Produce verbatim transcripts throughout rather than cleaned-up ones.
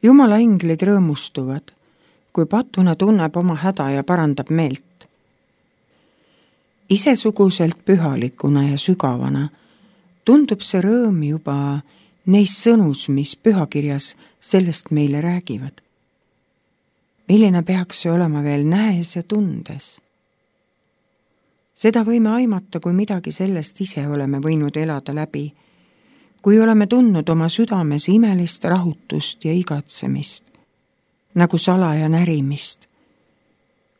Jumala inglid rõõmustuvad, kui patuna tunneb oma häda ja parandab meelt. Isesuguselt pühalikuna ja sügavana tundub see rõõm juba neis sõnus, mis pühakirjas sellest meile räägivad. Milline peaks see olema veel nähes ja tundes? Seda võime aimata, kui midagi sellest ise oleme võinud elada läbi, kui oleme tundnud oma südames imelist rahutust ja igatsemist, nagu salaja närimist.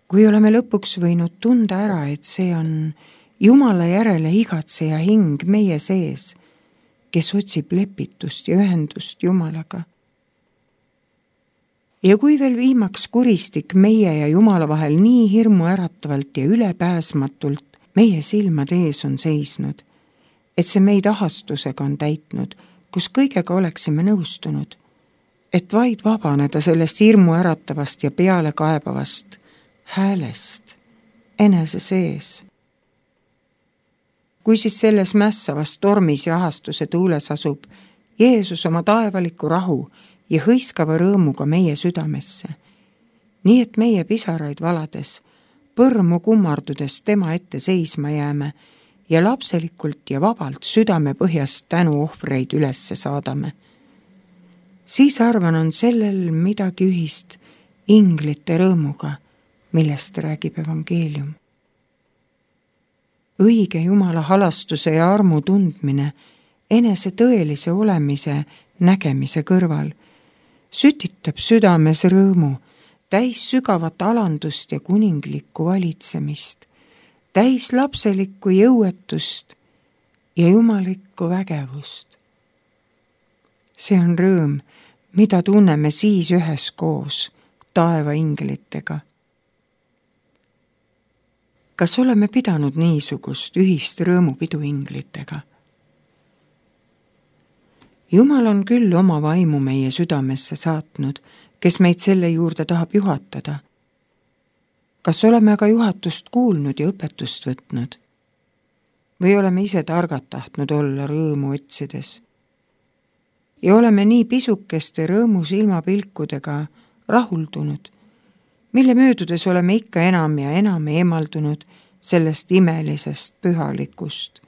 Kui oleme lõpuks võinud tunda ära, et see on Jumala järele igatseja hing meie sees, kes otsib lepitust ja ühendust Jumalaga. Ja kui veel viimaks kuristik meie ja Jumala vahel nii hirmu äratavalt ja ülepääsmatult meie silmad ees on seisnud, et see meid ahastusega on täitnud, kus kõigega oleksime nõustunud, et vaid vabaneda sellest hirmu äratavast ja peale kaebavast häälest enese sees. Kui siis selles mässavas tormis ja ahastuse tuules asub Jeesus oma taevaliku rahu ja hõiskava rõõmuga meie südamesse, nii et meie pisaraid valades, põrmu kummardudes tema ette seisma jääme ja lapselikult ja vabalt südame põhjast tänuohvreid ülesse saadame. Siis arvan, on sellel midagi ühist inglite rõõmuga, millest räägib evangeelium. Õige Jumala halastuse ja armu tundmine enese tõelise olemise nägemise kõrval sütitab südames rõõmu, täis sügavat alandust ja kuninglikku valitsemist, täis lapselikku jõuetust ja jumalikku vägevust. See on rõõm, mida tunneme siis üheskoos taeva inglitega. Kas oleme pidanud niisugust ühist rõõmupidu inglitega? Jumal on küll oma vaimu meie südamesse saatnud, kes meid selle juurde tahab juhatada. Kas oleme aga juhatust kuulnud ja õpetust võtnud? Või oleme ise targad tahtnud olla rõõmu otsides? Ja oleme nii pisukeste rõõmu silmapilkudega rahuldunud, mille möödudes oleme ikka enam ja enam eemaldunud sellest imelisest pühalikust,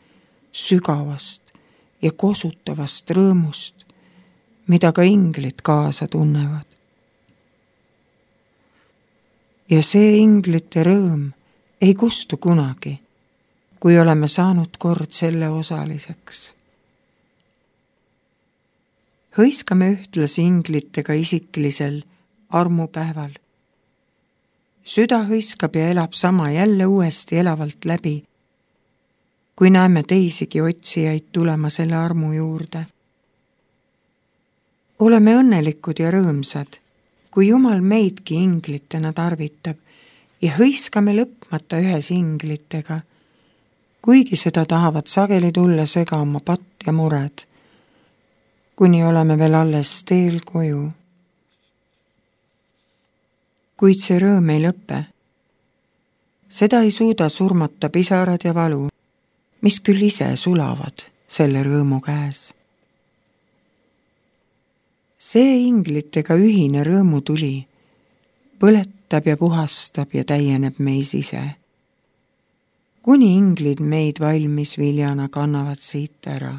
sügavast ja kosutavast rõõmust, mida ka inglid kaasa tunnevad. Ja see inglite rõõm ei kustu kunagi, kui oleme saanud kord selle osaliseks. Hõiskame ühtlasi inglitega isiklisel armupäeval. Süda hõiskab ja elab sama jälle uuesti elavalt läbi, kui näeme teisigi otsijaid tulema selle armu juurde. Oleme õnnelikud ja rõõmsad, kui Jumal meidki inglitena tarvitab ja hõiskame lõpmata ühes inglitega, kuigi seda tahavad sageli tulla sega oma patt ja mured, kuni oleme veel alles teel koju. Kuid see rõõm ei lõpe. Seda ei suuda surmata pisarad ja valu, mis küll ise sulavad selle rõõmu käes. See inglitega ühine rõõmutuli põletab ja puhastab ja täieneb meis ise, kuni inglid meid valmis viljana kannavad siit ära.